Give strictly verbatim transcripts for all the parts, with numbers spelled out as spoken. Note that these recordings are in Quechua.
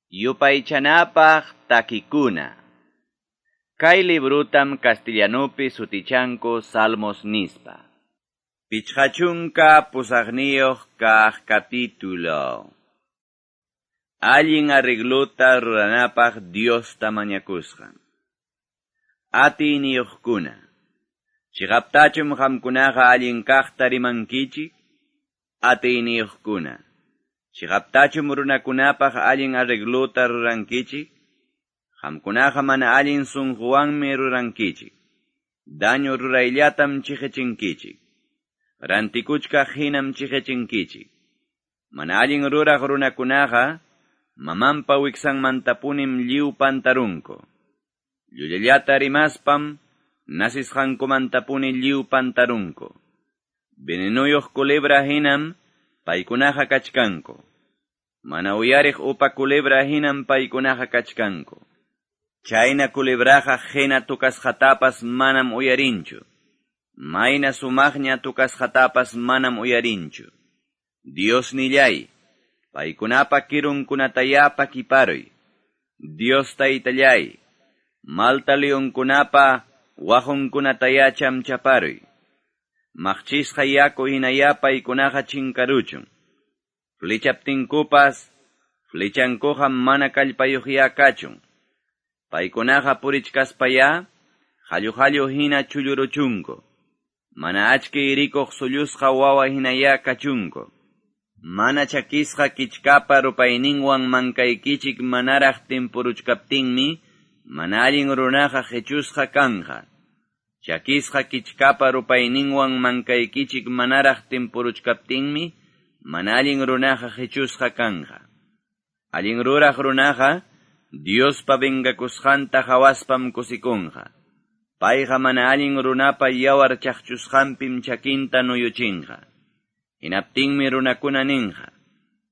Yupaychanapaq takikuna. Kay librutam castellanupi sutichanku Salmos nispa. Pichqachunka pusaqniyuq kaq capítulo. Allin arregluta ruranapaq Diosta mañakusqan. Atiyniyuqkuna. Chiqaptachum qamkunaqa allin kaqta rimankichik? Atiyniyuqkuna. Chiqaptachum runakunapaq allin arregluta rurankichik? Qamkunaqa mana allin sunquwanmi rurankichik. Daño rurayllatam chiqichinkichik. Rantikuchkaq hinam chiqichinkichik. Mana allin ruraq runakunaqa mamanpa wiksanmantapunim lliw pantarunku. Llullallata rimaspam nasisqankumantapuni lliw pantarunku. Venenuyuq culebra hinam paykunaqa kachkanku. Mana uyariq upa culebra hinam paykunaqa kachkanku. Chayna culebraqa hina tukasqatapas manam uyarinchu. Mayna sumaqña tukasqatapas manam uyarinchu. Dios nillay, paykunapa kirunkunataya pakiparuy. Dios taytallay, malta leonkunapa waqunkunataya chamchaparuy. Maqchisqa yaku hinaya paykunaqa chinkaruchun. Flechaptinkupas, flechankuqa mana kallpayuqya kachun. Paykunaqa purichkaspaya, hallu hallu hina chulluruchunku. Mana achki irikuq sullusqa wawa hinaya kachunku. Mana chakisqa kichkapa rupayninwan mankaykichik manaraq timpuruchkaptinmi, mana allin runaqa qichusqa kanqa. Chakisqa kichkapa rupayninwan mankaykichik manaraq timpuruchkaptinmi, mana allin runaqa qichusqa kanqa. Allin ruraq runaqa, Diospa vengakusqanta hawaspam kusikunqa. Payqa mana allin runapa yawar chaqchusqanpim chakinta nuyuchinqa. Hinaptinmi runakuna ninqa.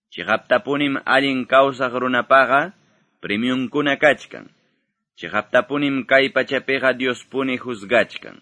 Chiqaptapunim allin kawsaq runapaqa premiunkuna kachkan. Chiqaptapunim kay pachapiqa Diospuni juzgachkan.